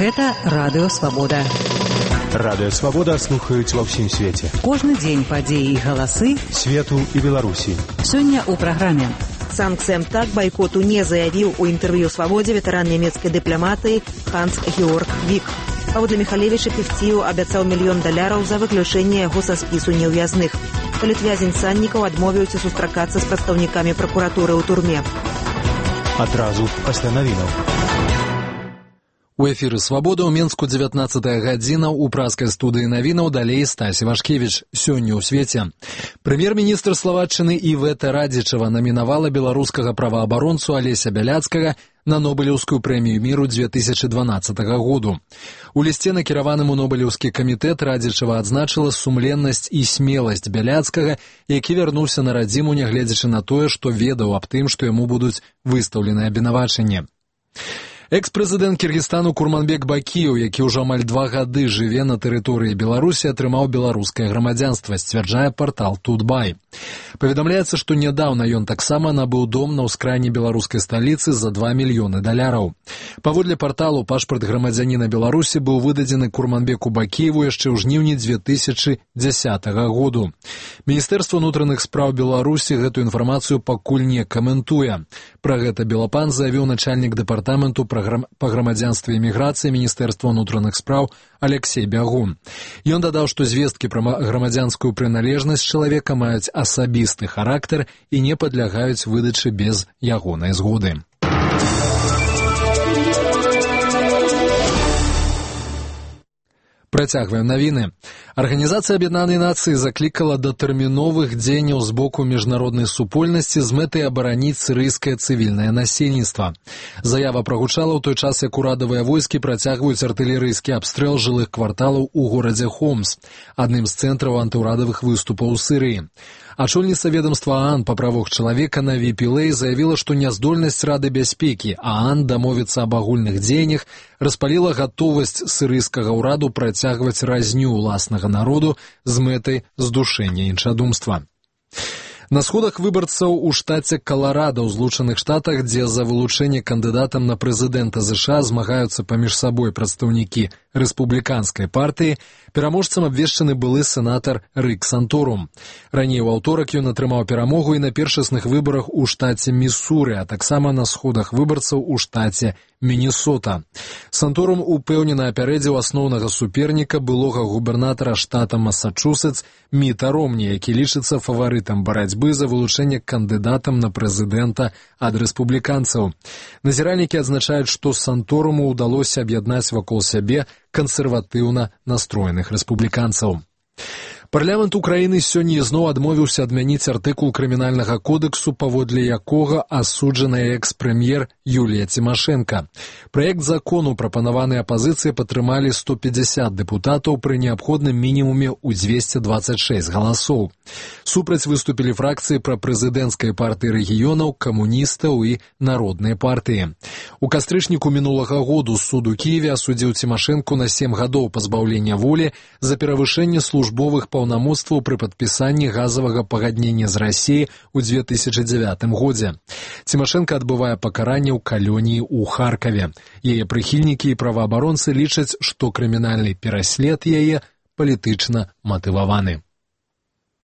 Гэта Радыё Свабода. Радыё Свабода слухаюць ва ўсім свеце. Кожны дзень падзеі і галасы свету і Беларусі. Сёння ў праграме. Санкт-Петербург бойкоту не заявіў у інтэрв'ю «Свабодзе» ветэран нямецкай дыпламатыі Ханс-Георг Вік. Паводле Міхалевіча Певціў абяцаў $1 мільён за выключэнне яго са спісу неўвязных. Палітвязень Саннікаў адмовіўся сустракацца з прадстаўнікамі пракуратуры ў турме. Адразу пасля навінаў. У эфіры «Свабода» ў Менску 19 гадзіна, у праскай студыі навінаў далей Стась Івашкевіч. Сёння ў свеце. Прэм'ер-міністр Славаччыны Івета Радзічава намінавала беларускага праваабаронцу Алеся Бяляцкага на Нобелеўскую прэмію міру 2012 году. У лісце, накіраваным у Нобелеўскі камітэт, Радзічава адзначыла сумленнасць і смеласць Бяляцкага, які вярнуўся на радзіму, нягледзячы на тое, што ведаў аб тым, што яму будуць выстаўлены абвінавачанні. Экс-прэзідэнт Кіргізстану Курманбек Бакіеў, які ўжо амаль 2 гады жыве на тэрыторыі Беларусі, атрымаў беларускае грамадзянства, сцвярджае партал Тутбай. Паведамляецца, што нядаўна ён таксама набыў дом на ўскрайні беларускай сталіцы за $2 мільёны. Паводле парталу, пашпарт грамадзяніна Беларусі быў выдадзены Курманбеку Бакіеву яшчэ ў жніўні 2010 году. Міністэрства ўнутраных спраў Беларусі гэту інфармацыю пакуль не каментуе. Пра гэта Белапан заявіў начальнік дэпартаменту па грамадзянстве і міграцыі Міністэрства ўнутраных спраў Алексей Бягун. Ён дадаў, што звесткі пра грамадзянскую прыналежнасць чалавека маюць асабісты характар і не падлягаюць выдачы без ягонай згоды. Працягваем навіны. Арганізацыя Аб'яднанай Нацыі заклікала да тэрміновых дзеянняў з боку міжнароднай супольнасці з мэтай абараніць сірыйскае цывільнае насельніцтва. Заява прагучала ў той час, як урадавыя войскі працягваюць артылерыйскі абстрэл жылых кварталаў у горадзе Хомс, адным з цэнтраў антыўрадавых выступаў у Сірыі. Ачольніца ведомства ААН па правах чалавека Наві Пілэй заявіла, што няздольнасць Рады бяспекі ААН дамовіцца аб агульных дзеяннях распаліла гатовасць сірыйскага ўраду працягваць разню ўласнага народу з мэтай здушэння іншадумства. На сходах выбарцаў у штаце Каларада ў Злучаных Штатах, дзе за вылучэнне кандыдатам на прэзідэнта США змагаюцца паміж сабой прадстаўнікі рэспубліканскай партыі, пераможцам абвешчаны былы сенатар Рык Санторум. Раней у аўторак ён атрымаў перамогу і на першасных выбарах у штаце Місуры, а таксама на сходах выбарцаў у штаце Мінесота. Санторум упэўнена апярэдзіў асноўнага суперніка былога губернатара штата Масачусетс Міта Ромні, які лічыцца фаварытам барацьбы за вылучэнне кандыдатам на прэзідэнта ад рэспубліканцаў. Назіральнікі адзначаюць, што Санторуму ўдалося аб'яднаць вакол сябе кансерватыўна настроеных рэспубліканцаў. Парламент Украіны сёння ізноў адмовіўся адмяніць артыкул крымінальнага кодексу, паводле якога асуджаная экс-прэм'ер Юлія Цімашэнка. Праект закону, прапанаваны апазіцыяй, падтрымалі 150 дэпутатаў пры неабходным мінімуме ў 226 галасоў. Супраць выступілі фракцыі прапрэзідэнцкай партыі рэгіёнаў, камуністаў і народнай партыі. У кастрычніку мінулага году суд у Кіеве асудзіў Цімашэнку на 7 гадоў пазбаўлення волі за перавышэнне службовых паўнамоцтваў пры падпісанні газавага пагаднення з Расіяй у 2009 годзе. Цімашэнка адбывае пакаранне ў калоніі ў Харкаве. Яе прыхільнікі і праваабаронцы лічаць, што крымінальны пераслед яе палітычна матываваны.